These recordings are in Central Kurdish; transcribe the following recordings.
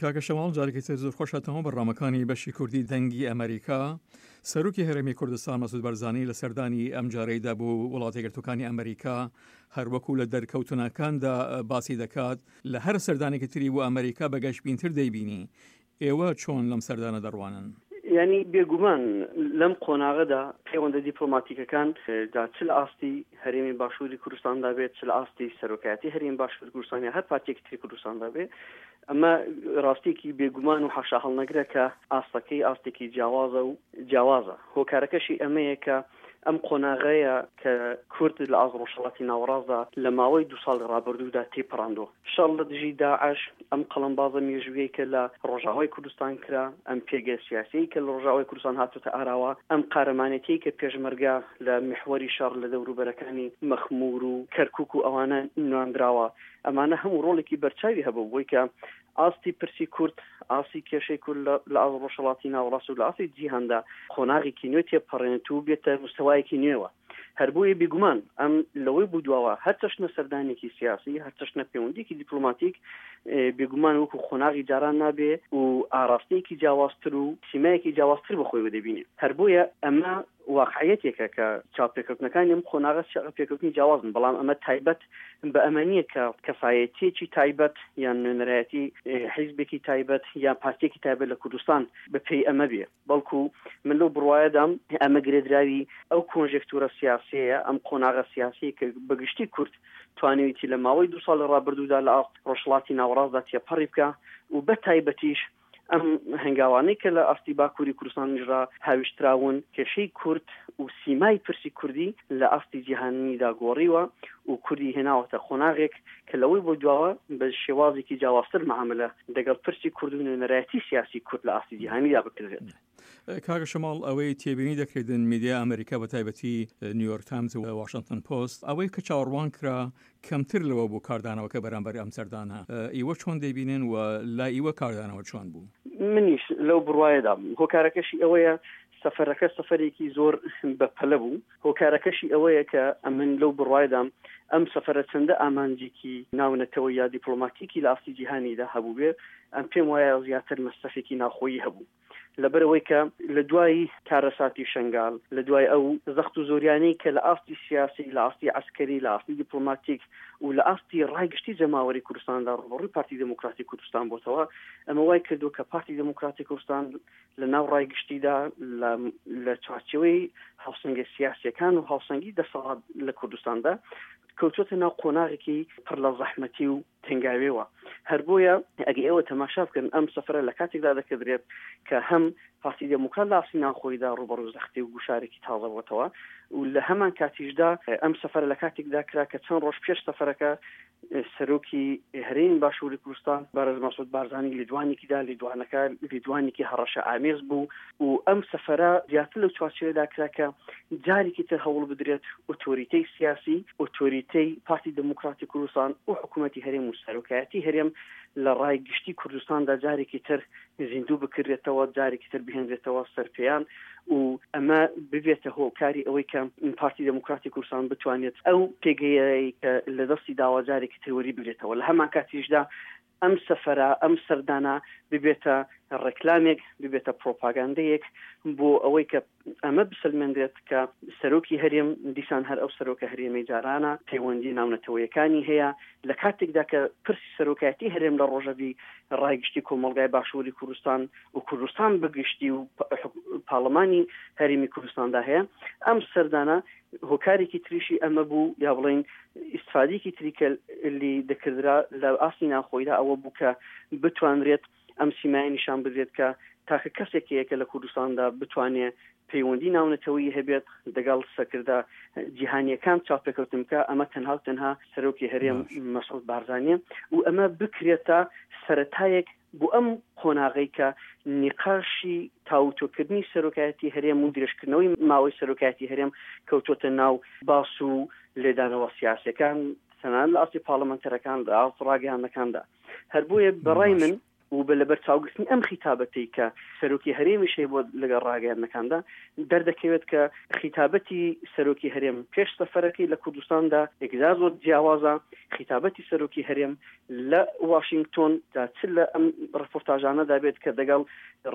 کاکە شەماڵ جارێکی تر زۆر خۆش هاتنەوە بەرنامەکانی بەشی کوردی دەنگی ئەمەریکا. سەرۆکی هەرێمی کوردستان مەسعود بەرزانی لە سەردانی ئەمجارەیدا بۆ وڵاتە یەکگرتووەکانی ئەمەریکا هەروەکو لە دەرکەوتنەکاندا باسی دەکات لە هەر سەردانێکی تری بۆ ئەمەریکا بە گەشبینتر دەیبینی. ئێوە چۆن لەم سەردانە دەڕوانن؟ یانی بێگومان لەم قۆناغەدا پەیوەندە دیپلۆماتیکەکان جا چ لە ئاستی هەرێمی باشووری کوردستاندا بێت چ لە ئاستی سەرۆکایەتی هەرێمی باشووری کوردستان یا هەر پارتێکی تری کوردستاندا بێ ئەمە ڕاستیەکی بێگومان و حاشاهەڵنەگرە کە ئاستەکەی ئاستێکی جیاوازە و جیاوازە هۆکارەکەشی ئەمەیە کە ئەم قۆناغەیە کە کورد لە ئاست ڕۆژهەڵاتی ناوەڕاستدا لە ماوەی دوو ساڵی ڕابردوودا تێیپەڕاندووە. شەڕ لە دژی داعش، ئەم قەڵەمبازە مێژوویەی کە لە ڕۆژاوای کوردستان کرا، ئەم پێگە سیاسیەی کە لە ڕۆژاوای کوردستان هاتۆتە ئاراوە، ئەم قارەمانێتیەی کە پێشمەرگە لە میحوەری شەڕ لە دەوروبەرەکانی مەخموور و کەرکووک و ئەوانە نواندراوە، ئەمانە هەموو ڕۆڵێکی بەرچاوی هەبوو بۆی کە ئاستی پرسی کورد، ئاستی کێشەی کورد لە ئاست ڕۆژهەڵاتی ناوەڕاست و لە ئاستی جیهاندا قۆناغێکی نوێ تێپەڕێنێت و بێتە مستەوایەکی نوێوە. هەر بۆیە بیگومان ئەم لەوەی بوو دواوە هەر چەشنە سەردانێکی سیاسی، هەر چەشنە پەیوەندییەکی دیپلۆماتیک بێگومان وەکو قۆناغی جاران نابێ و ئاراستەیەکی جیاوازتر و سیمایەکی جیاوازتر بە خۆیەوە دەبینێ. هەر بۆیە ئەمە واقعیەتێکە کە چاوپێکەوتنەکانی ئەم قۆناغە چاوپێکەوتنی جیاوازن، بەڵام ئەمە تایبەت بە ئەمە نییە کە کەسایەتییەکی تایبەت یان نوێنەرایەتی حیزبێکی تایبەت یان پارتییەکی تایبەت لە کوردستان بە پێی ئەمە بێ، بەڵکو من لەو بڕوایەدام ئەمە گرێدراوی ئەو کۆنژێکتورە سیاسییەیە، ئەم قۆناغە سیاسییەی کە بە گشتی کورد توانیویەتی لە ماوەی دوو ساڵی ڕابردوودا لە ئاست ڕۆژهەڵاتی ناوەڕاستدا تێپەڕی بکا و بە تایبەتیش ئەم هەنگاوانەی کە لە ئاستی باکووری کوردستانیشدا هاویشتراون، کێشەی کورد و سیمای پرسی کوردی لە ئاستی جیهانیدا گۆڕیوە و کوردی هێناوەتە قۆناغێک کە لەوەی بۆ دواوە بە شێوازێکی جیاوازتر مەعاملە دەگەڵ پرسی کورد و نوێنەرایەتی سیاسی کورد لە ئاستی جیهانیدا بکرێت. کاکە شەماڵ ئەوەی تێبینی دەکرێتن میدیا ئەمریکا بە تایبەتی نیویۆرک تایمز و واشنتن پۆست ئەوەی کە چاوەڕوان کرا کەمتر لەوە بوو کاردانەوەکە بەرامبەر ئەم سەردانە ئیوە چۆن دەیبینن و لای ئیوە کاردانەوە چۆن بوو؟ منیش لەو بڕوایەدام هۆکارەکەشی ئەوەیە سەفەرەکە سەفەرێکی زۆر بەپەلە بوو هۆکارەکەشی ئەوەیە کە ئەمن لەو بڕوایەدام ئەم سەفەرە چەندە ئامانجێکی ناونەتەوە یا دیپلۆماتیکی لە ئاستی جیهانیدا هەبووبێ ئەم پێم وایە زیاتر مەسرەفێکی ناوخۆیی هەبوو. لەبەرئەوەی کە لە دوای کارەساتی شەنگال، لە دوای ئەو زەخت و زۆریانەی کە لە ئاستی سیاسی، لە ئاستی عەسکەری، لە ئاستی دیپلۆماتیک و لە ئاستی ڕای گشتی جەماوەری کوردستاندا ڕووبەڕووی پارتی دێموکراتی کوردستان بۆتەوە، ئەمە وای کردووە کە پارتی دێموکراتی کوردستان لە ناو ڕای گشتیدا لە لە چوارچێوەی هاوسەنگە سیاسییەکان و هاوسەنگی دەسەڵات لە کوردستاندا کەوتووەتە ناو قۆناغێکی پڕ لە زەحمەتی و تەنگاوێوە. هەر بۆیە ئەگەر ئێوە تەماشا بکەن ئەم سەفەرە لە کاتێکدا دەکردرێت کە هەم پارتی دێموکرات لە ئاستی ناوخۆیدا ڕووبەڕوو زەختی و گوشارێکی تازە بۆتەوە و لە هەمان کاتیشدا ئەم سەفەرە لە کاتێکدا کرا کە چەند ڕۆژ پێش سەفەرەکە سەرۆکی هەرێمی باشووری کوردستان بەڕێز مەسعود بارزانی لێدوانێکی دا، لێدوانەکە لێدوانێکی هەڕەشە ئامێز بوو و ئەم سەفەرە زیاتر لەو چوارچێوەیەدا کرا کە جارێکی تر هەوڵ بدرێت ئۆتۆریتەی سیاسی، ئۆتۆریتەی پارتی دێموکراتی کوردستان و حکوومەتی هەرێم و سەرۆکایەتی هەرێم لە ڕای گشتی کوردستاندا جارێکی تر زیندوو بکرێتەوە، جارێکی تر بهێنرێتەوە سەر پێیان و ئەمە ببێتە هۆکاری ئەوەی کە پارتی دێموکراتی کوردستان بتوانێت ئەو پێگەیەی کە لە دەستی داوە جارێکی تر وەری بگرێتەوە. لە هەمان کاتیشدا ئەم سەفەرە، ئەم سەردانە ببێتە ڕێکلامێک، ببێتە پرۆپاگاندەیەک بۆ ئەوەی کە ئەمە بسەلمێنرێت کە سەرۆکی هەرێم دیسان هەر ئەو سەرۆکە هەرێمەی جارانە، پەیوەندی ناونەتەوەیەکانی هەیە، لە کاتێکدا کە پرسی سەرۆکایەتی هەرێم لە ڕۆژەڤی ڕای گشتی کۆمەڵگای باشووری کوردستان و کوردستان بە گشتی و پارلەمانی هەرێمی کوردستاندا هەیە. ئەم سەردانە هۆکارێکی تریشی ئەمە بوو، یا بڵێین ئیستفادەیەکی تری کە لی دەکردرا لە ئاستی ناوخۆیدا ئەوە بوو کە بتوانرێت ئەم سیمایە نیشان بدرێت کە تاکە کەسێک هەیە کە لە کوردستاندا بتوانێ پەیوەندی ناونەتەوەیی هەبێت دەگەڵ سەرکردە جیهانیەکان چاوپێکەوتن بکا، ئەمە تەنها و تەنها سەرۆکی هەرێم مەسعود بارزانیە و ئەمە بکرێتە سەرەتایەک بۆ ئەم قۆناغەی کە نیقاشی تاوتوێکردنی سەرۆکایەتی هەرێم و درێژکردنەوەی ماوەی سەرۆکایەتی هەرێم کەوتۆتە ناو باس و لێدانەوە سیاسیەکان تەنانەت لە ئاستی پارلەمانتەرەکان لە ئاست ڕاگەیاندنەکاندا. هەر بۆیە بەڕای من. و بە لەبەرچاوگرتنی ئەم خیتابەتەی کە سەرۆکی هەرێمیش هەیە بۆ لەگەڵ ڕاگەیاندنەکاندا، دەردەکەوێت کە خیتابەتی سەرۆکی هەرێم پێش سەفەرەکەی لە کوردستاندا یەکجار زۆر جیاوازە، خیتابەتی سەرۆکی هەرێم لە واشینگتۆن جا چ لە ئەم ڕێپۆرتاژانەدا بێت کە دەگەڵ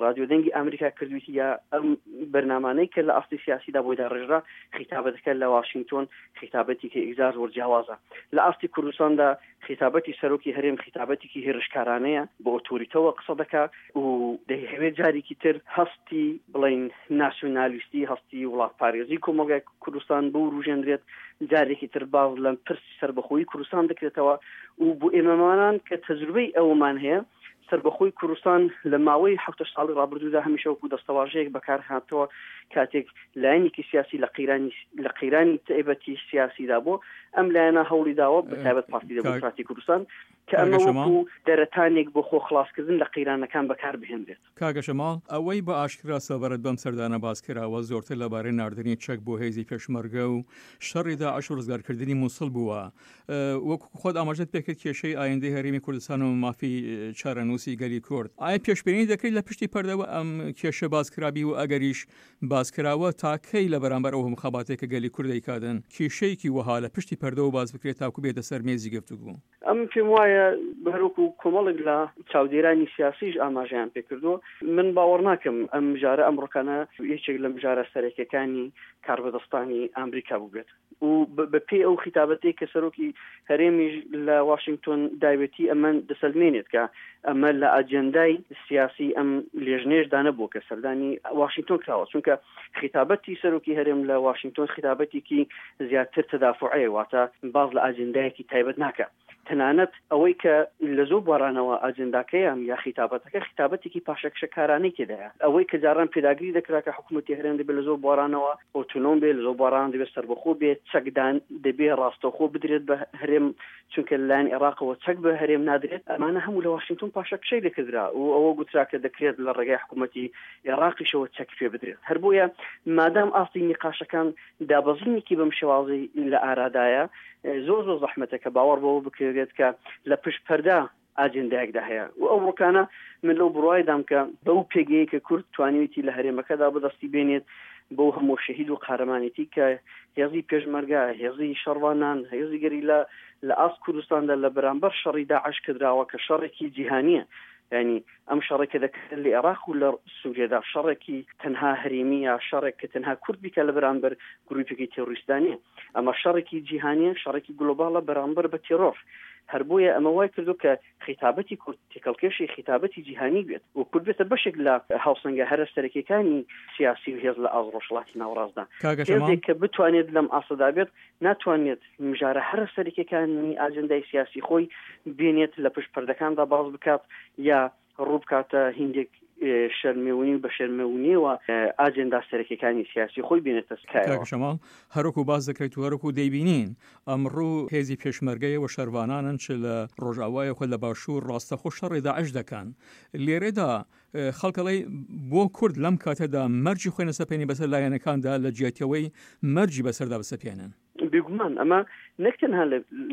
ڕادیۆ دەنگی ئامریکا کردوویتی یا ئەم بەرنامانەی کە لە ئاستی سیاسیدا بۆی داڕێژرا، خیتابەتەکە لە واشینگتۆن خیتابەتێکی یەکجار زۆر جیاوازە. لە ئاستی کوردستاندا خیتابەتی سەرۆکی هەرێم خیتابەتێکی هێرشکارانەیە، بە ئۆتۆریتەوە قسە دەکا و دەیهەوێت جارێکی تر هەستی بڵێین ناسیۆنالیستی، هەستی وڵاتپارێزی کۆمەڵگای کوردستان بوروژێنرێت، جارێکی تر باس لە پرسی سەربەخۆیی کوردستان دەکرێتەوە و بۆ ئێمەمانان کە تەجروبەی ئەوەمان هەیە، سەربەخۆی کوردستان لە ماوەی حەفتە ساڵی ڕابردوودا هەمیشە وەکوو دەستەواژەیەک بەکار هاتەوە کاتێک لایەنێکی سیاسی لە قەیرانی لە قەیرانی تایبەتی سیاسیدا بۆ ئەم لایەنە هەوڵی داوە بە تایبەت پارتی دێموکراتی کوردستان کە ئەمە وەکوو دەرەتانێک بۆ خۆ خڵاسکردن لە قەیرانەکان بەکار بهێنرێت. کاکە شەماڵ، ئەوەی بە ئاشکرا سەبارەت بەم سەردانە باس کراوە زۆرتر لەبارەی ناردنی چەک بۆ هێزی پێشمەرگە و شەڕی داعش و ڕزگارکردنی موسڵ بووە. وەکو خۆت ئاماژەت پێکرد کێشەی ئایندەی هەرێمی کوردستان و مافی چارەنووسی گەلی کورد، ئایا پێشبینی دەکرێت لە پشتی پەردەوە ئەم کێشە باس کرابی و ئەگەریش باس کراوە تا کەی لە بەرامبەر ئەو هەموو خەباتەی کە گەلی کورد دەیکاتن کێشەیەکی وەها لە پشتی پەردەوە باس بکرێت تاکو بێتە سەر مێزی گفتوگۆ؟ ئەمن پێم وایە هەروەکو کۆمەڵێک لە چاودێرانی سیاسیش ئاماژەیان پێکردووە، من باوەڕ ناکەم ئەم مژارە ئەمڕۆکانە یەکێک لە مژارە سەرەکیەکانی کاربەدەستانی ئامریکا بووبێت و بە پێی ئەو خیتابەتەی کە سەرۆکی هەرێمیش لە واشنگتۆن داوێتی ئەمە دەسەلمێنێت کە ئەمە لە ئاجێندای سیاسی ئەم لێژنەیەشدا نەبووە کە سەردانی واشنگتۆن کراوە، چونکە خیتابەتی سەرۆکی هەرێم لە واشنگتۆن خیتابەتێکی زیاتر تەدافوعەیە، واتە باس لە ئاجێندایەکی تایبەت ناکا. تەنانەت ئەوەی کە لە زۆر بوارانەوە ئاجێنداکەیان یا خیتابەتەکە خیتابەتێکی پاشەکشەکارانەی تێدایە. ئەوەی کە جاران پێداگری دەکرا کە حکوومەتی هەرێم دەبێ لە زۆر بوارانەوە ئۆتۆنۆم بێ، لە زۆر بواران دەبێ سەربەخۆ بێ، چەکدان دەبێ ڕاستەوخۆ بدرێت بە هەرێم، چونکە لەلایەن عێراقەوە چەک بە هەرێم نادرێت، ئەمانە هەموو لە واشنگتۆن پاشەکشەی لێکردرا و ئەوە گوترا کە دەکرێت لە ڕێگای حکوومەتی عێراقیشەوە چەک پێ بدرێت. هەر بۆیە مادام ئاستی نیقاشەکان دابەزینێکی بەم شێوازەی لە ئارادایە، زۆر زۆر زەحمەتە کە باوەڕ بەوە بکرێت کە لە پشت پەردە ئاجێندایەکدا هەیە و ئەوڕۆکانە من لەو بڕوایدام کە بەو پێگەیەی کە کورد توانیویەتی لە هەرێمەکەدا بەدەستی بێنێت، بەو هەموو شەهید و قارەمانێتی کە هێزی پێشمەرگە، هێزی شەڕڤانان، هێزی گەریلا لە ئاست کوردستاندا لە بەرامبەر شەڕی داعش کردراوە کە شەڕێکی جیهانییە، یانی ئەم شەڕێک کە دەکرێت لە عێراق و لە سووریەدا شەڕێکی تەنها هەرێمی یا شەڕێک کە تەنها کورد بیکە لە بەرامبەر گروپێکی تێرۆریستدا نییە، ئەمە شەڕێکی جیهانییە، شەڕێکی گلۆباڵە بەرامبەر بە تێرۆر. هەر بۆیە ئەمە وای کردووە کە خیتابەتی کورد تێکەڵکێشی خیتابەتی جیهانی بێت و کورد بێتە بەشێک لە هاوسەنگە هەرە سەرەکیەکانی سیاسی و هێز لە ئاست ڕۆژهەڵاتی ناوەڕاستدا. کاکە شەماڵ. هێزێک کە بتوانێت لەم ئاستەدا بێت، ناتوانێت مژارە هەرە سەرەکیەکانی ئاجێندای سیاسی خۆی بێنێت لە پشت پەردەکاندا باس بکات یا ڕوو بکاتە هیندێک شەرمێونی و بە شەرمێونیەوە ئاجێندا سەرەکیەکانی سیاسی خۆی بێنێتە کایەوە. کاکە شەماڵ، هەروەکو باس دەکرێت و هەروەکو دەیبینین ئەمڕۆ هێزی پێشمەرگەیە و شەرڤانانن چ لە ڕۆژئاوا یاخود لە باشوور ڕاستەخۆ شەڕی داعش دەکەن. لێرەدا خەڵک ئەڵێ بۆ کورد لەم کاتەدا مەرجی خۆی نەسەپێنی بەسەر لایەنەکاندا لە جیاتیەوەی مەرجی بەسەردا بسەپێنن. بێگومان ئەمە نەک تەنها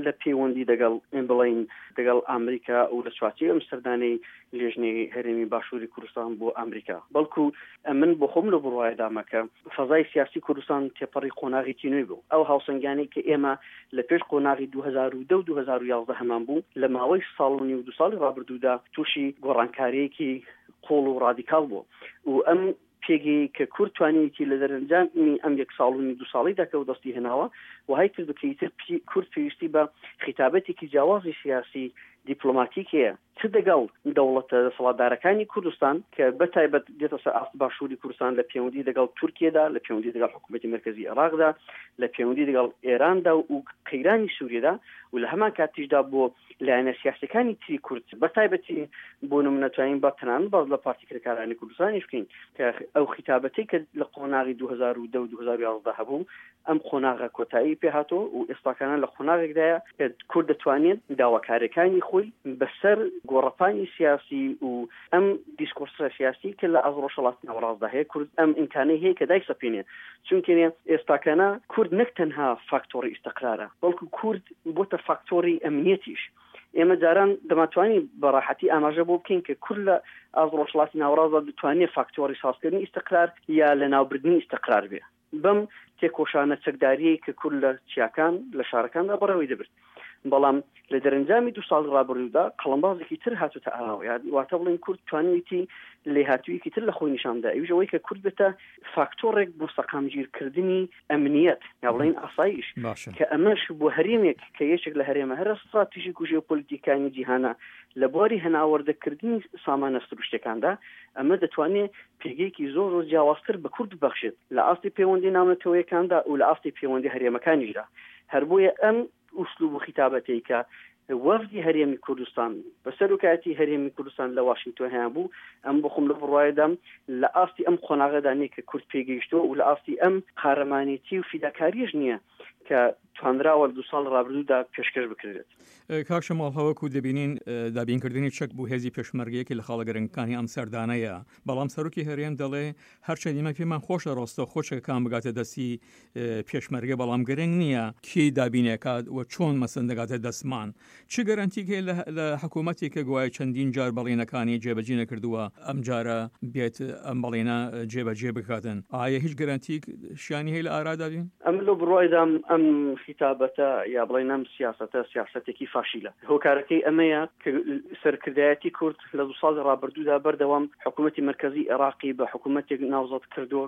لە پەیوەندی دەگەڵ بڵین دەگەڵ ئامریکا و لە چوارچێوەی ئەم سەردانەی لێژنەی هەرێمی باشووری کوردستان بۆ ئامریکا، بەڵکو ئەمن بۆ خۆم لەو بڕوایەدامە کە فەزای سیاسی کوردستان تێپەڕی قۆناغێکی نوێ بوو. ئەو هاوسەنگیانەی کە ئێمە لە پێش قۆناغی 2010 و 2011 هەمان بوو، لە ماوەی ساڵ و نیو دوو ساڵی ڕابردوودا تووشی گۆڕانکارییەکی قووڵ و ڕادیکاڵ بوو و ئەم پێگەیەی کە کورد توانیویەتی لە دەرەنجامی ئەم یەک ساڵ و نیو دوو ساڵەیدا کە وەدەستی هێناوە وەهای کردوە کە ئیتر کورد پێویستی بە خیتابەتێکی جیاوازی سیاسی دیپلۆماتیک هەیە چ دەگەڵ دەوڵەتە دەسەڵاتدارەکانی کوردستان کە بە تایبەت دێتە سەر ئاست باشووری کوردستان لە پێوەندی دەگەڵ تورکیەدا لە پێوەندی دەگەڵ حکوومەتی مەرکەزی عێراقدا لە پێوەندی دەگەڵ ئێراندا و قەیرانی سووریەدا و لە هەمان کاتیشدا بۆ لایەنە سیاسیەکانی تری کورد بە تایبەتی بۆ نمونە توانین بە تەنانەت باس لە پارتی کرێکارانی کوردستانیش بکەین کە ئەو خیتابەتەی کە لە قۆناغی 2010 و 2011 هەبوو ئەم قۆناغە کۆتایی پێهاتۆ و ئێستاکانە لە قۆناغێکدایە کە کورد دەتوانێت داواکاریەکانی خۆی بەسەر گۆڕەپانی سیاسی و ئەم دیسکۆرسە سیاسی کە لە ئاست ڕۆژهەڵاتی ناوەڕاستدا هەیە کورد ئەم ئیمکانەی هەیە کە دایسەپێنێ چونکێ ئێستاکانە کورد نەک تەنها فاکتۆڕی ئیستقرارە بەڵکو کورد بۆتە فاکتۆری ئەمنیەتیش. ئێمە جاران دەماتوانی بە ڕاحەتی ئاماژە بۆ بکەین کە کورد لە ئاست ڕۆژهەڵاتی ناوەڕاستدا دەتوانێت فاکتۆڕی سازکردنی ئیستقرار یا لەناوبردنی ئیستقرار بێ بەم تێکۆشانە چەکداریەی کە کورد لە چیاکان لە شارەکاندا بەڕێوەی دەبرد. بەڵام لە دەرەنجامی دوو ساڵی ڕابردوودا قەڵەمبازێکی تر هاتوتە ئاراوە، یا واتە بڵێن کورد توانیویەتی لێهاتوویەکی تر لە خۆی نیشان بدا، ئەویش ئەوەی کە کورد بێتە فاکتۆڕێک بۆ سەقامگیرکردنی ئەمنیەت یا بڵێین ئاسایش، باشە. کە ئەمەش بۆ هەرێمێک کە یەکێک لە هەرێمە هەرە ستراتیژیک و ژێۆپۆلیتیکانی جیهانە لە بواری هەناوەردەکردنی سامانە سروشتیەکاندا، ئەمە دەتوانێ پێگەیەکی زۆر زۆر جیاوازتر بە کورد ببەخشێت لە ئاستی پەیوەندی ناونەتەوەیەکاندا و لە ئاستی پەیوەندی هەرێمەکانیشدا. هەر بۆیە ئەم ئوسلوب و خیتابەتەی کە وەفدی هەرێمی کوردستان بە سەرۆکایەتی هەرێمی کوردستان لە واشنگتۆن هەیان بوو، ئەم بۆ خۆم لەو بڕوایەدام لە ئاستی ئەم قۆناغەدا نییە کە کورد پێگەیشتووە و لە ئاستی ئەم قارەمانێتی و فیداکارییەش نییە کە توانراوە لە دوو ساڵی ڕابردوودا پێشکەش بکرێت. کاک شەماڵ هەوەکو دەبینین دابینکردنی چەک بۆ هێزی پێشمەرگە یەکێ لە خاڵە گرنگەکانی ئەم سەردانەیە، بەڵام سەرۆکی هەرێم دەڵێ هەرچەند ئێمە پێمان خۆشە ڕاستەوخۆ چەکەکان بگاتە دەستی پێشمەرگە بەڵام گرنگ نییە کێ دابینێکات و چۆن مەسەن دەگاتە دەستمان چ گەرەنتیک هەیە لە حکوومەتێک کە گوایە چەندین جار بەڵێنەکانی جێبەجێ نەکردووە ئەم جارە بێت ئەم بەڵێنە جێبەجێ بکاتن ئایا هیچ گەرەنتیک شیانی هەیە لە ئارادا بین؟ ئەمن لەو بڕوایدام ئەم خیتابەتە یا بڵێین ئەم سیاسەتە سیاسەتێکی فاشیلە هۆکارەکەی ئەمەیە کە سەرکردایەتی کورد لە دوو ساڵی ڕابردوودا بەردەوام حکوومەتی مەرکەزی عێراقی بە حکوومەتێک ناوزەد کردووە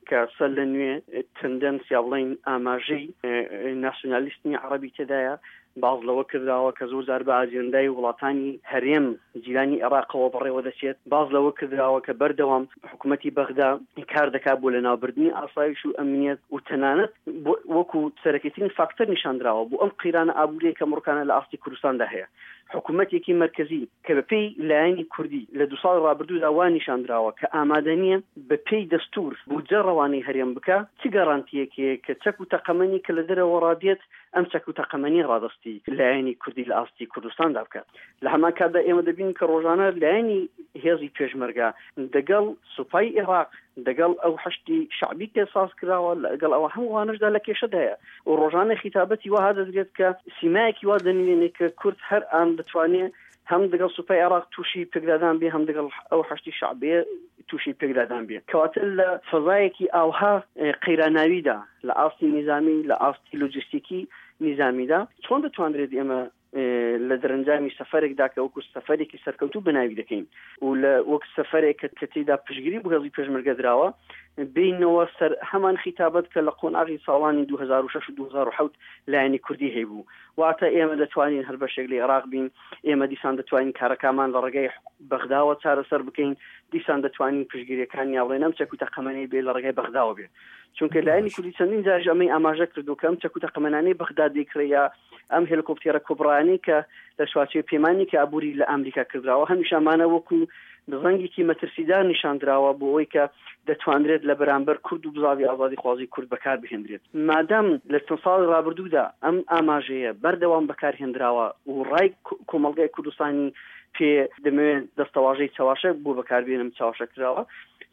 کە سەر لە نوێ تندەنس یا بڵێین ئاماژەی ناسیونالیستمی عەڕەبی تێدایە، باس لەوە کردراوە کە زۆر جار بە ئاجێندای وڵاتانی هەرێم جیرانی عێراقەوە بەڕێوە دەچێت، باس لەوە کردراوە کە بەردەوام حکوومەتی بەغدا کار دەکات بۆ لەناوبردنی ئاسایش و ئەمنیەت و تەنانەت وەکو سەرەکیترین فاکتەر نیشاندراوە بۆ ئەم قەیرانە ئابووریەی کە ئەمڕۆکانە لە ئاستی کوردستاندا هەیە. حکوومەتێکی مەرکەزی کە بە پێی لایەنی کوردی لە دوو ساڵی ڕابردوودا وا نیشان دراوە کە ئامادە نییە بە پێی دەستوور بودجە ڕەوانەی هەرێم بکا، چ گەرانتییەک هەیە کە چەک و تەقەمەنی کە لە دەرەوەڕا دێت ئەم چەک و تەقەمەنییە ڕادەستی لایەنی کوردی لە ئاستی کوردستاندا بکات؟ لە هەمان کاتدا ئێمە دەبینین کە ڕۆژانە لایەنی هێزی پێشمەرگە دەگەڵ سوپای ئێراق، دەگەڵ ئەو حەشدی شەعبی کە ساز کراوە، لەگەڵ ئەوە هەمووانەشدا لە کێشەدایە و ڕۆژانە خیتابەتی وەها دەدرێت کە سیمایەکی وا دەنوێنێ کە کورد هەر ئان دەتوانێ هەم دەگەڵ سوپای عێراق تووشی پێکدادان بێ، هەم دەگەڵ ئەو حەشدی شەعبیە تووشی پێکدادان بێ. کەواتە لە فەزایەکی ئاوها قەیراناویدا، لە ئاستی نیزامی، لە ئاستی لۆجستیکی نیزامیدا، چۆن دەتوانرێت ئێمە لە دەرەنجامی سەفەرێکدا کە وەکو سەفەرێکی سەرکەوتوو بەناوی دەکەین و لە وەک سەفەرێک کە کە تێیدا پشتگیری بۆ هێزی پێشمەرگە دراوە بێینەوە سەر هەمان خیتابەت کە لە قۆناغی ساڵانی 2006 و 2007 لایەنی کوردی هەیبوو واتە ئێمە دەتوانین هەر بەشێک لە عێراق بین ئێمە دیسان دەتوانین کارەکانمان لە ڕێگای بەغداوە چارەسەر بکەین دیسان دەتوانین پشتگیریەکان یا بڵێن ئەم چەک و تەقەمەنی بێ لە ڕێگای بەغداوە بێ چونکە لایەنی کوردی چەندین جاریش ئەمەی ئاماژە کردو کە ئەم چەک و تەقەمەنانەی بەغدا دەیکڕێ یا ئەم هێلکۆپتێرە کوبڕایانەی کە لە چوارچێوەی پەیمانێکی ئابووری لە ئامریکا کردراوە، هەمیشە ئەمانە وەکوو زەنگێکی مەترسیدار نیشان دراوە بۆ ئەوەی کە دەتوانرێت لە بەرامبەر کورد و بزاڤی ئازادیخوازی کورد بەکار بهێندرێت. مادام لە چەند ساڵی ڕابردوودا ئەم ئاماژەیە بەردەوام بەکار هێندراوە و ڕای کۆمەڵگای کوردستانی پێ دەمەوێت دەستەواژەی چەواشە بۆ بەکار بێنم چەواشە کراوە،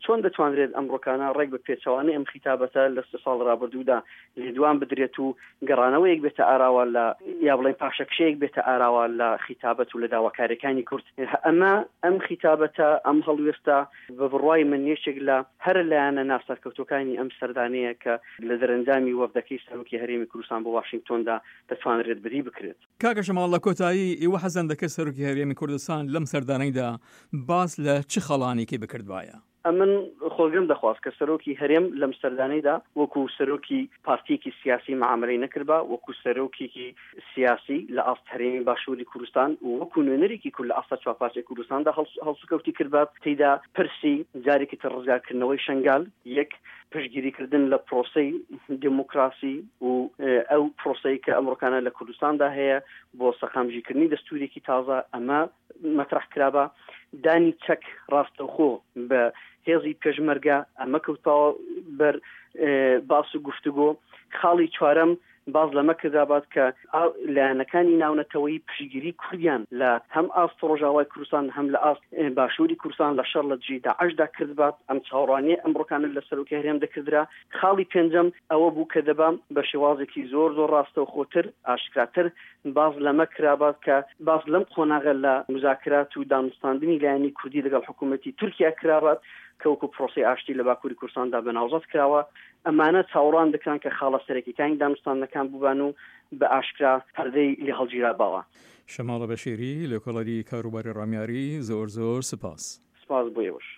چۆن دەتوانرێت ئەمڕۆکانە ڕێک بە پێچەوانەی ئەم خیتابەتە لە سێ ساڵی ڕابردوودا لێدوان بدرێت و گەڕانەوەیەک بێتە ئاراوە لە یا بڵێین پاشەکشەیەک بێتە ئاراوە لە خیتابەت و لە داواکاریەکانی کورد. ئەمە ئەم خیتابەتە، ئەم هەڵوێستە بە بڕوای من یەکێک لە هەرە لایەنە ناسەرکەوتووەکانی ئەم سەردانەیە کە لە دەرەنجامی وەفدەکەی سەرۆکی هەرێمی کوردستان بۆ واشینگتۆندا دەتوانرێت بەدی بکرێت. کاکە شەماڵ لە کۆتایی ئێوە حەزتان دەکرد سەرۆکی هەرێمی کوردستان لەم سەردانەیدا باس لە چ خەڵانێکی بکردبایە؟ ئەمن خۆزگەم دەخواست کە سەرۆکی هەرێم لەم سەردانەیدا وەکو سەرۆکی پارتیەکی سیاسی مەعامەلەی نەکردبا، وەکو سەرۆکێکی سیاسی لە ئاست هەرێمی باشووری کوردستان و وەکو نوێنەرێکی کورد لە ئاست چوارپارچەی کوردستاندا هەڵسوکەوتی کردبا، تێیدا پرسی جارێکی تر ڕزگارکردنەوەی شەنگال، یەک پشتگیریکردن لە پرۆسەی دێموکراسی و ئەو پرۆسەی کە ئەمڕۆکانە لە کوردستاندا هەیە بۆ سەقامگیرکردنی دەستوورێکی تازە، ئەمە مەترەح کرابا، دانی چەک ڕاستەوخۆ بە هێزی پێشمەرگە، ئەمە کەوتاوە بەر باس و گفتوگۆ. خاڵی چوارەم باس لەمە کرابات کە لایەنەکانی ناونەتەوەیی پشتگیری کوردیان لە هەم ئاست ڕۆژاوای کوردستان هەم لە ئاست باشووری کوردستان لە شەڕ لە دژی داعشدا کردبات. ئەم چاوەڕوانییە ئەمڕۆکانە لە سەرۆکی هەرێم دەکردرا. خاڵی پێنجەم ئەوە بوو کە دەبا بە شێوازێکی زۆر زۆر ڕاستەوخۆتر، ئاشکراتر باس لەمە کرابات کە باس لەم قۆناغە لە موزاکرات و دانوستاندنی لایەنی کوردی لەگەڵ حکوومەتی تورکیا کرابات کە وەکوو پرۆسەی ئاشتی لە باکووری کوردستاندا بە ناوزەد کراوە. ئەمانە چاوەڕوان دەکران کە خاڵە سەرەکیەکانی دانوستاندنەکان بووبان و بە ئاشکرا پەردەی لێ هەڵگیراباوە. شەماڵە بەشیری، لێکۆڵەری کاروباری ڕامیاری، زۆر زۆر سپاس. سپاس بۆ ئێوەش.